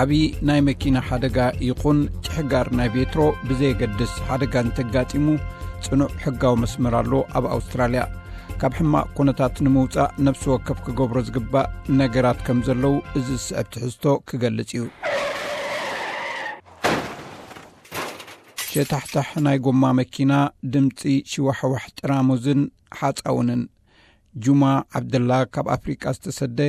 ዓብዪ ናይ መኪና ሓደጋ ይኹን ጭሕጋር ናይ ቤትሮ ብዘየገድስ፣ ሓደጋ እንተጋጢሙ ጽኑዕ ሕጋዊ መስመር ኣሎ ኣብ ኣውስትራልያ። ካብ ሕማቕ ኩነታት ንምውጻእ ነፍሲ ወከፍ ክገብሮ ዝግባእ ነገራት ከም ዘለዉ እዚ ዝስዕብ ትሕዝቶ ክገልጽ እዩ። ሸታሕታሕ ናይ ጎማ መኪና፣ ድምጺ ሽዋሕዋሕ ጥራሙዝን ሓጻውንን። ጁማ ዓብደላ ካብ ኣፍሪቃ ዝተሰደ፣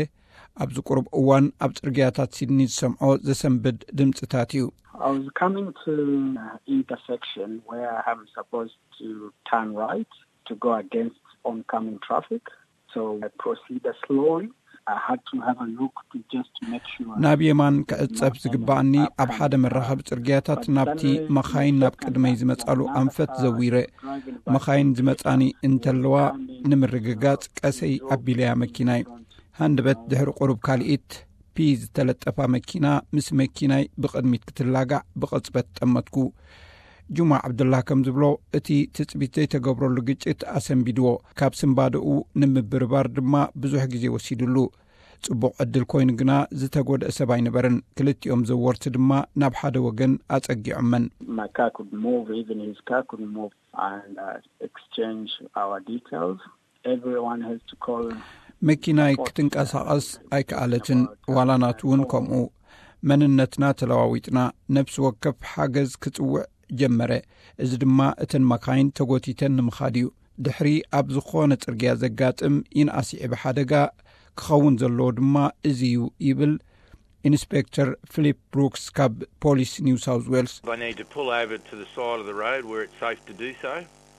ኣብዚ ቁሩብ እዋን ኣብ ጽርግያታት ሲድኒ ዝሰምዖ ዘሰንብድ ድምጽታት እዩ። I was coming to intersection where I'm supposed to turn right to go against oncoming traffic. So I proceeded slowly. I had to have a look to just make sure ናብ የማን ክዕጸፍ ዝግባኣኒ ኣብ ሓደ መራኸቢ ጽርግያታት ናብቲ መኻይን ናብ ቅድመይ ዝመጻሉ ኣንፈት ዘዊረ። መኻይን ዝመጻኒ እንተለዋ ንምርግጋጽ ቀሰይ ኣቢለያ መኪናይ። ሃንደበት ድሕሪ ቁሩብ ካልኢት ፒ ዝተለጠፋ መኪና ምስ መኪናይ ብቕድሚት ክትላጋዕ ብቕጽበት ጠመትኩ። ጁማ ዓብዱላ ከም ዝብሎ፣ እቲ ትጽቢት ዘይተገብረሉ ግጭት ኣሰንቢድዎ። ካብ ስንባደኡ ንምብርባር ድማ ብዙሕ ግዜ ወሲድሉ። ጽቡቕ ዕድል ኮይኑ ግና ዝተጎድአ ሰብ ኣይነበረን። ክልቲኦም ዘወርቲ ድማ ናብ ሓደ ወገን ኣጸጊዖመን። My car could move, even his car could move, and uh, exchange our details. Everyone has to call. መኪናይ ክትንቀሳቐስ ኣይከኣለትን፣ ዋላ ናቱ እውን ከምኡ። መንነትና ተለዋዊጥና፣ ነፍሲ ወከፍ ሓገዝ ክጽውዕ ጀመረ። እዚ ድማ እተን መካይን ተጎቲተን ንምኻድ እዩ። ድሕሪ ኣብ ዝኾነ ጽርግያ ዘጋጥም ይንኣስ ይዕቢ ሓደጋ ክኸውን ዘለዎ ድማ እዚ እዩ ይብል ኢንስፔክተር ፊሊፕ ብሩክስ ካብ ፖሊስ ኒው ሳውዝ ዌልስ። They need to pull over to the side of the road where it's safe to do so.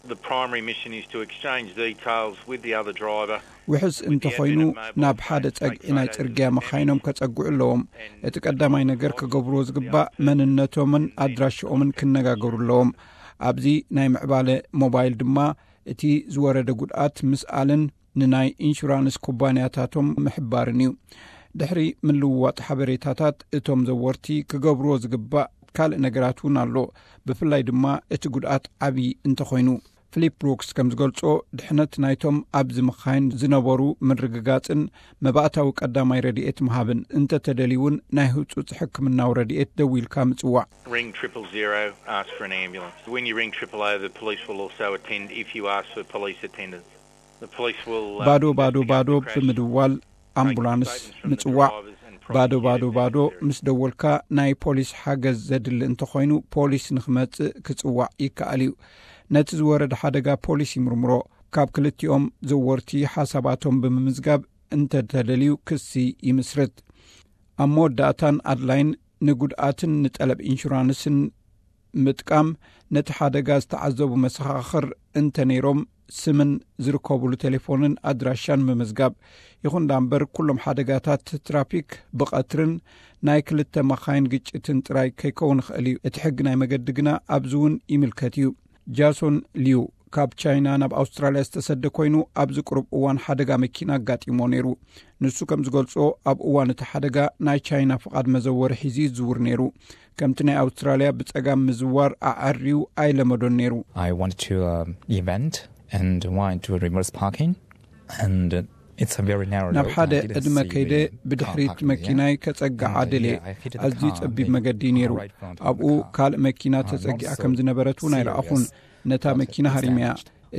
The primary mission is to exchange details with the other driver. ውሕስ እንተኾይኑ ናብ ሓደ ጸግዒ ናይ ጽርግያ መኻይኖም ከጸግዑ ኣለዎም። እቲ ቀዳማይ ነገር ክገብርዎ ዝግባእ መንነቶምን ኣድራሽኦምን ክነጋገሩ ኣለዎም። ኣብዚ ናይ ምዕባለ ሞባይል ድማ እቲ ዝወረደ ጉድኣት ምስኣልን ንናይ ኢንሹራንስ ኩባንያታቶም ምሕባርን እዩ። ድሕሪ ምልውዋጥ ሓበሬታታት እቶም ዘወርቲ ክገብርዎ ዝግባእ ካልእ ነገራት እውን ኣሎ። ብፍላይ ድማ እቲ ጉድኣት ዓብዪ እንተኾይኑ። ፊሊፕ ብሩክስ ከም ዝገልጾ፣ ድሕነት ናይቶም ኣብዚ መኻይን ዝነበሩ ምርግጋጽን መባእታዊ ቀዳማይ ረድኤት ምሃብን፣ እንተተደልዩ እውን ናይ ህጹጽ ሕክምናዊ ረድኤት ደዊልካ ምጽዋዕ። Ring triple zero, ask for an ambulance. When you ring triple O, the police will also attend if you ask for police attendance. The police will, uh, ባዶ ባዶ ባዶ ብምድዋል ኣምቡላንስ ምጽዋዕ። ባዶ ባዶ ባዶ ምስ ደወልካ፣ ናይ ፖሊስ ሓገዝ ዘድሊ እንተኾይኑ ፖሊስ ንኽመጽእ ክጽዋዕ ይከኣል እዩ። ነቲ ዝወረደ ሓደጋ ፖሊስ ይምርምሮ። ካብ ክልቲኦም ዘወርቲ ሓሳባቶም ብምምዝጋብ እንተተደልዩ ክሲ ይምስርት። ኣብ መወዳእታን ኣድላይን ንጉድኣትን ንጠለብ ኢንሹራንስን ምጥቃም፣ ነቲ ሓደጋ ዝተዓዘቡ መሰኻኽር እንተነይሮም ስምን ዝርከቡሉ ቴሌፎንን ኣድራሻን ምምዝጋብ። ይኹን ደኣ እምበር፣ ኩሎም ሓደጋታት ትራፊክ ብቐትርን ናይ ክልተ መኻይን ግጭትን ጥራይ ከይከውን ይኽእል እዩ። እቲ ሕጊ ናይ መገዲ ግና ኣብዚ እውን ይምልከት እዩ። ጃሶን ሊዩ ካብ ቻይና ናብ ኣውስትራልያ ዝተሰደ ኮይኑ፣ ኣብዚ ቅሩብ እዋን ሓደጋ መኪና ኣጋጢሞ ነይሩ። ንሱ ከም ዝገልጾ፣ ኣብ እዋን እቲ ሓደጋ ናይ ቻይና ፍቓድ መዘወሪ ሒዙ ይዝውር ነይሩ። ከምቲ ናይ ኣውስትራልያ ብጸጋም ምዝዋር ኣዐርዩ ኣይለመዶን ነይሩ። I went to an event and went to reverse parking, and it's a very narrow ናብ ሓደ ዕድመ ከይደ ብድሕሪት መኪናይ ከጸግዓ ደልየ። ኣዝዩ ጸቢብ መገዲ ነይሩ። ኣብኡ ካልእ መኪና ተጸጊዓ ከም ዝነበረት እውን ኣይረኣኹን። ነታ መኪና ሃሪመያ።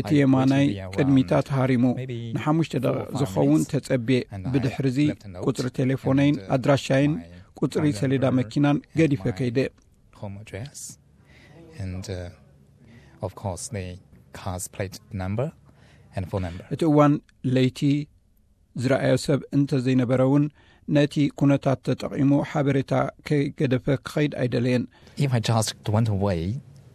እቲ የማናይ ቅድሚታ ተሃሪሙ። ንሓሙሽተ ደቂቕ ዝኸውን ተጸብየ። ብድሕርዚ ቁጽሪ ቴሌፎነይን ኣድራሻይን ቁጽሪ ሰሌዳ መኪናን ገዲፈ ከይደ። Home address, and uh, of course the car's plate number and phone number. እቲ እዋን ለይቲ ዝረኣዮ ሰብ እንተ ዘይነበረ እውን፣ ነቲ ኩነታት ተጠቒሙ ሓበሬታ ከይገደፈ ክኸይድ ኣይደለየን። If I just went away,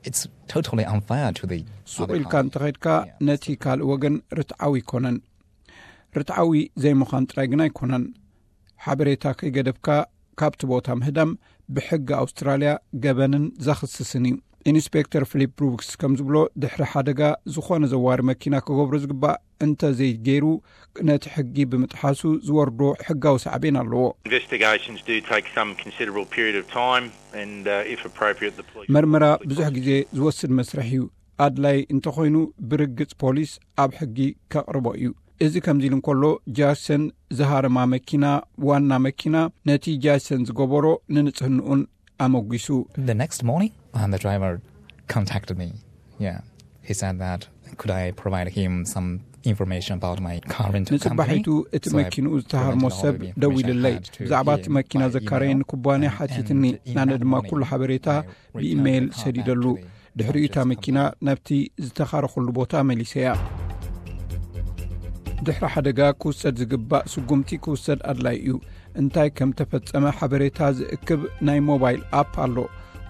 it's totally unfair to the ሱቕ ኢልካ እንተኸድካ፣ ነቲ ካልእ ወገን ርትዓዊ ኣይኮነን። ርትዓዊ ዘይምዃን ጥራይ ግን ኣይኮነን። ሓበሬታ ከይገደፍካ ካብቲ ቦታ ምህዳም ብሕጊ ኣውስትራልያ ገበንን ዘኽስስን እዩ። ኢንስፔክተር ፊሊፕ ብሩክስ ከም ዝብሎ፣ ድሕሪ ሓደጋ ዝኾነ ዘዋሪ መኪና ክገብሮ ዝግባእ እንተ ዘይገይሩ፣ ነቲ ሕጊ ብምጥሓሱ ዝወርዶ ሕጋዊ ሳዕቤን ኣለዎ። Investigations do take some considerable period of time, and uh, if appropriate, the police መርመራ ብዙሕ ግዜ ዝወስድ መስርሕ እዩ። ኣድላይ እንተኾይኑ፣ ብርግጽ ፖሊስ ኣብ ሕጊ ከቕርቦ እዩ። እዚ ከምዚ ኢሉ እንከሎ፣ ጃክሰን ዝሃረማ መኪና፣ ዋና መኪና፣ ነቲ ጃክሰን ዝገበሮ ንንጽህንኡን ኣመጒሱ። The next morning, and the driver contacted me. Yeah, he said that could I provide him some information about my current company. ንጽባሒቱ እቲ So I መኪንኡ ዝተሃርሞ provided all ሰብ the information I ደዊልለይ። had to ብዛዕባ him እቲ መኪና by ዘካረየኒ email. ኩባንያ And- ሓቲትኒ። and in ናነ that ድማ morning, ኩሉ ሓበሬታ I returned ብኢሜይል the car back ሰዲደሉ። to the ድሕሪኡ እታ purchase መኪና company. ናብቲ ዝተኻረኹሉ ቦታ መሊሰያ። ድሕሪ ሓደጋ ክውሰድ ዝግባእ ስጉምቲ ክውሰድ ኣድላይ እዩ። እንታይ ከም ተፈጸመ ሓበሬታ ዝእክብ ናይ ሞባይል ኣፕ ኣሎ።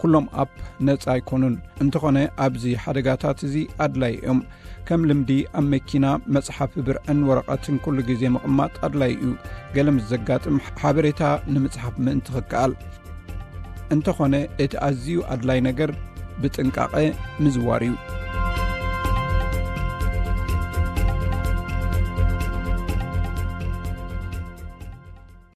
ኩሎም ኣፕ ነጻ ኣይኮኑን። እንተኾነ ኣብዚ ሓደጋታት እዚ ኣድላይ እዮም። ከም ልምዲ ኣብ መኪና መጽሓፊ ብርዕን ወረቐትን ኩሉ ግዜ ምቕማጥ ኣድላይ እዩ። ገለ ምስ ዘጋጥም ሓበሬታ ንምጽሓፍ ምእንቲ ክከኣል። እንተኾነ እቲ ኣዝዩ ኣድላይ ነገር ብጥንቃቐ ምዝዋር እዩ።